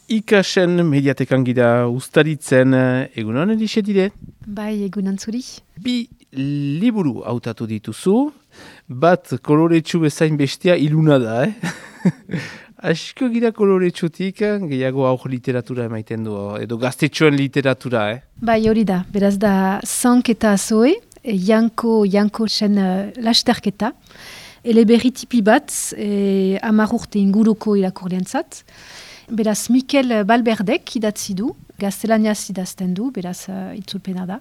Ikasen mediatekan gira ustaritzen, egunon edixe dire? Bai, egunon zuri. Bi liburu hautatu dituzu, bat koloretsu bezain bestia iluna da, Asko gira koloretsutik, gehiago aur literatura emaiten du, edo gaztetxoen literatura, Bai, hori da, beraz da Zank eta Zoe, Janko zen lasterketa, eleberri tipi bat, 10 urte inguruko irakurleantzat. Beraz, Mikel Balberdek idatzi du, gaztelaniaz idazten du, beraz itzulpena da.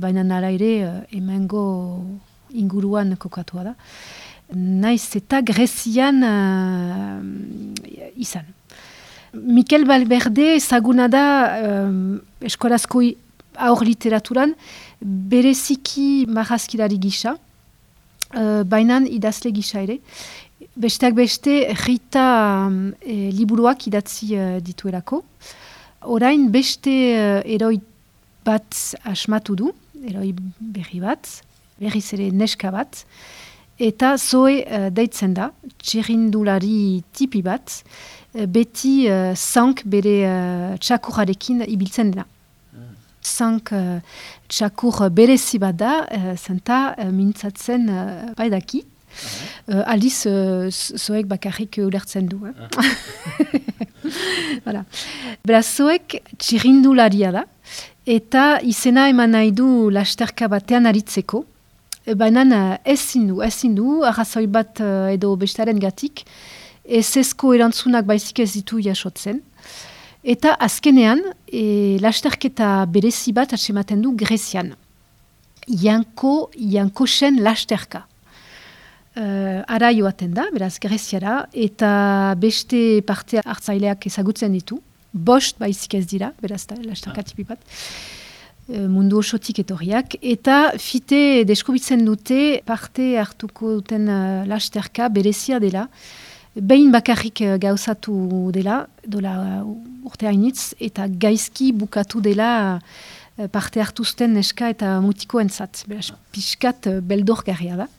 Baina nara ere, hemengo inguruan kokatua da. Naiz eta Grezian izan. Mikel Balberde ezaguna da eskolazko aur literaturan, bereziki marrazkilari gisa, baina idazle gisa ere. Besteak beste, Rita liburuak idatzi dituelako. Orain beste eroi bat asmatu du, eroi berri bat, berriz ere neska bat, eta Zoe deitzen da, txirrindulari tipi bat, beti Zank bere txakurrarekin ibiltzen dena. Zank txakur berezi bat da, zenta mintzatzen baidaki. Aldiz, Zoek bakarrik ulertzen du. Voilà. Beraz, Zoek txirrindularia da, eta izena eman nahi du lasterka batean aritzeko, baina ezin du, arrazoi bat edo bestaren gatik, ezezko erantzunak baizik ez ditu jasotzen. Eta azkenean, lasterketa berezi bat atsematen du Grezian. Jankosen lasterka. Ara joaten da, beraz Greziara, eta beste parte hartzaileak ezagutzen ditu. Bost baizik ez dira, beraz lasterka tipi bat. Mundu osotik etorriak, eta fite deskubitzen dute parte hartuko duten lasterka berezia dela, behin bakarrik gauzatu dela, dola urte hainitz, eta gaizki bukatu dela parte hartuzten neska eta mutiko entzat. Beraz, pixkat beldorgarria da.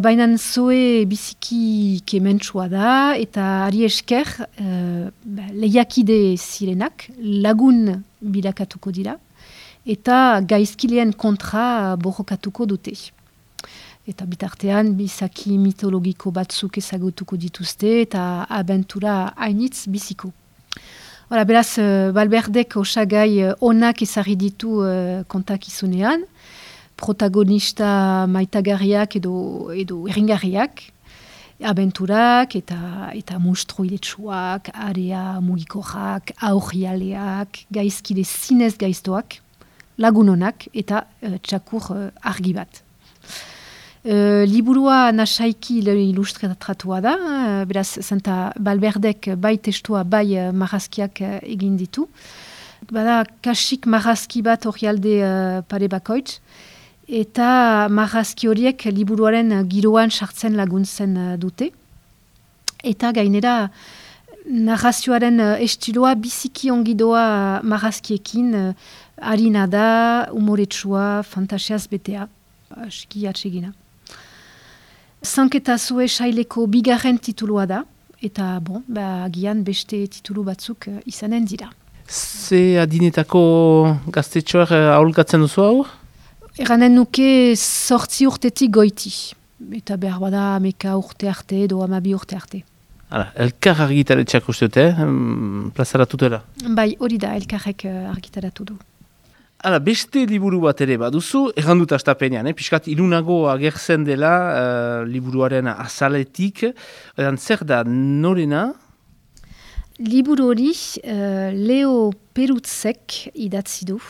Baina Zoe biziki kementsua da, eta ari esker lehiakide zirenak, lagun bilakatuko dira, eta gaizkileen kontra borrokatuko dute. Eta bitartean, bizaki mitologiko batzuk ezagutuko dituzte, eta abentura hainitz biziko. Hora, beraz, Balberdek osagai onak ezarri ditu kontakizunean, protagonista maitagarriak edo erringarriak, abenturak eta monstruiletsuak, area mugikorrak, aurrialeak, gaizkide zinez gaiztoak, lagunonak eta txakur argi bat. Liburua nasaiki ilustratratua da, beraz, zenta Balberdek bai testua, bai marrazkiak egin ditu. Bada, kasik marrazki bat orrialde pare bakoitz, eta marrazki horiek liburuaren giroan sartzen laguntzen dute. Eta gainera, narrazioaren estiloa biziki ongidoa marrazkiekin harina da, umoretsua, fantasiaz betea, aski atsegina. Zank eta Zoe saileko bigarren titulua da, eta agian beste titulu batzuk izanen dira. Ze adinetako gaztetxoak aholkatzen duzu hau? Eranen nuke 8 urtetik goiti. Eta behar bada 11 urte arte edo 12 urte arte. Hala, elkar argitaretxak uste dute, plazaratutela? Bai, hori da, elkarrek argitaratu du. Hala, beste liburu bat ere baduzu, errandut astapenean, piskat ilunago agertzen dela liburuaren azaletik. Zer da, norena? Liburu hori Leo Perutzek idatzi du.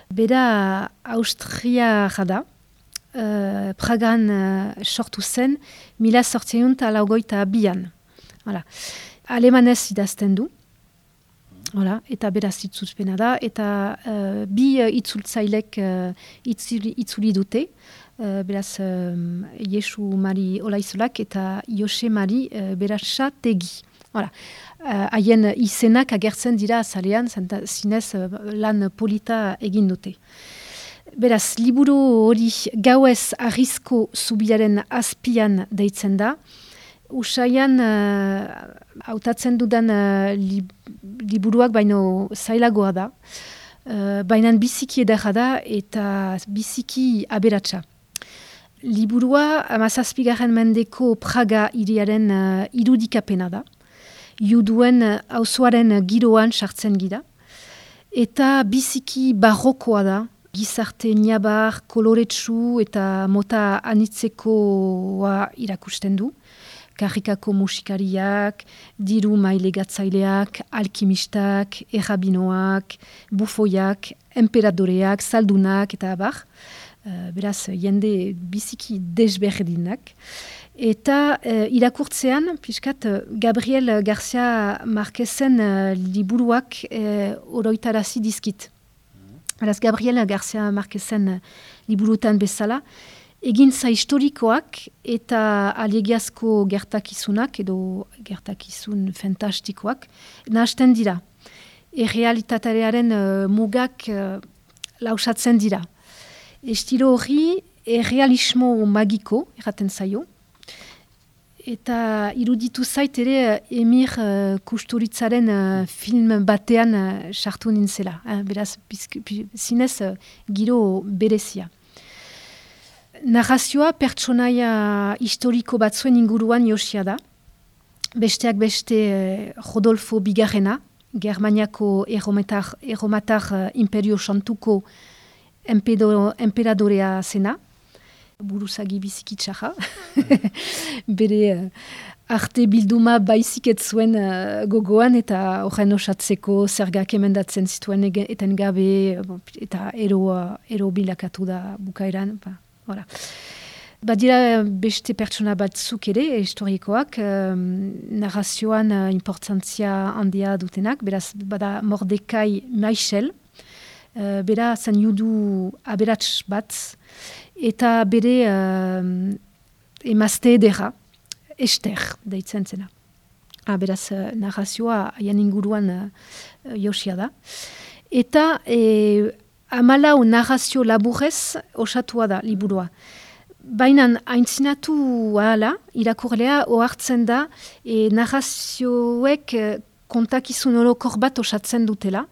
Bera Austria da, Pragan sortu zen, 1882an. Alemanez idazten du, eta beraz itzulpena da, eta bi itzultzailek itzuli dute, beraz Jesu Mari Olaizolak eta Jose Mari Beratxategi. Haien izenak agertzen dira azalean, zinez lan polita egin dute. Beraz, liburu hori Gauez Arrizko Zubiaren azpian deitzen da, Usaian hautatzen dudan liburuak baino zailagoa da. Baina biziki edarra da eta biziki aberatsa. Liburua 17. mendeko Praga hiriaren irudikapena da. Juduen auzoaren giroan sartzen gira. Eta biziki barrokoa da. Gizarte niabar, koloretsu eta mota anitzekoa irakusten du. Karrikako musikariak, diru mailegatzaileak, alkimistak, errabinoak, bufoiak, emperadoreak, saldunak eta abar. Beraz, jende biziki desberdinak. Eta irakurtzean, piskat, Gabriel Garcia Marquezen liburuak oroitarazi dizkit. Beraz, Gabriel Garcia Marquezen liburutan bezala, egintza historikoak eta alegiazko gertakizunak edo gertakizun fantastikoak nahasten dira. Errealitatearen mugak lausatzen dira. Estilo hori errealismo magiko erraten zaio. Eta iruditu zait ere Emir Kusturitzaren film batean sartu nintzela. Beraz, zinez giro berezia. Narrazioa pertsonaia historiko batzuen inguruan josia da. Besteak beste Rodolfo Bigarrena, Germaniako erromatar imperio santuko emperadorea zena, buruzagi bizikitsaja. Bere arte bilduma baizik ez zuen gogoan eta horren osatzeko zergak emendatzen zituen eten gabe eta ero bilakatu da bukaeran. Badira beste pertsona batzuk ere, historikoak, narrazioan importantzia handia dutenak, beraz bada Mordekai Maichel, bera zen judu aberats bat, eta bere emazte edera, Ester, deitzen zena. Beraz narrazioa haien inguruan josia da. Eta 14 narrazio laburrez osatua da liburua. Baina aintzinatu ahala, irakurlea ohartzen da narrazioek kontakizun orokor bat osatzen dutela.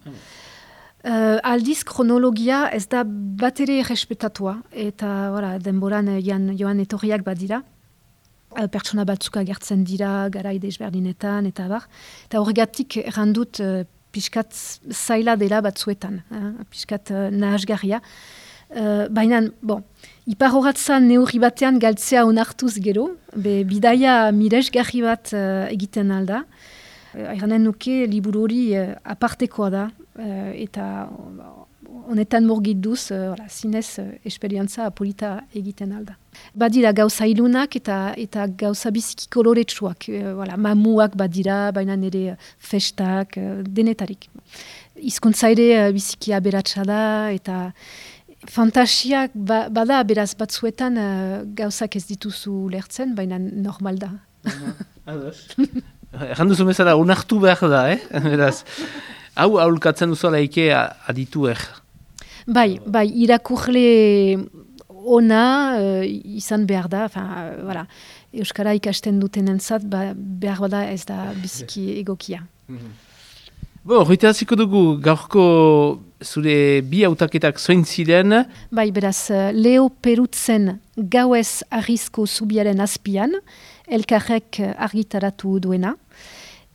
Aldiz kronologia ez da bat ere errespetatua eta denboran joan etorriak badira. Pertsona batzuk agertzen dira garai desberdinetan eta bar. Eta horregatik errandut piskat zaila dela batzuetan, piskat nahasgarria. Baina, ipar horatzan neurri batean galtzea onartuz gero, bidaia miresgarri bat egiten alda. Eranen nuke liburu hori apartekoa da, eta honetan murgilduz, zinez esperientza polita egiten alda. Badira gauza ilunak eta gauza biziki koloretsuak, mamuak badira, baina nire festak, denetarik. Hizkuntza ere biziki aberatsa da, eta fantasiak bada beraz batzuetan gauzak ez dituzu lertzen, baina normal da. Erran duzu bezala, unartu behar da, beraz. Hau aholkatzen duzu alaike aditu Bai, irakurle ona izan behar da, Euskara ikasten duten entzat, behar bada ez da biziki egokia. Horretaraziko dugu, gaurko zure bi hautaketak zoin ziren? Bai, beraz, Leo Perutzen Gauez Arrizko Zubiaren azpian, elkarrek argitaratu duena.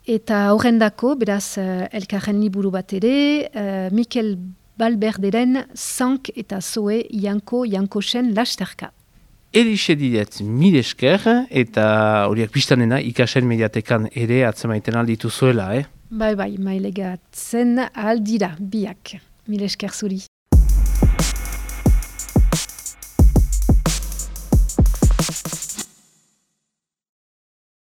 Eta horrendako, beraz, elkarren liburu bat ere, Mikel Balberderen Zank eta Zoe Jankosen lasterka. Elixe didet mil esker eta horiak biztanena ikasen mediatekan ere atzemaiten alditu zuela, Bai, mailegatzen aldira, biak. Mil esker zuri.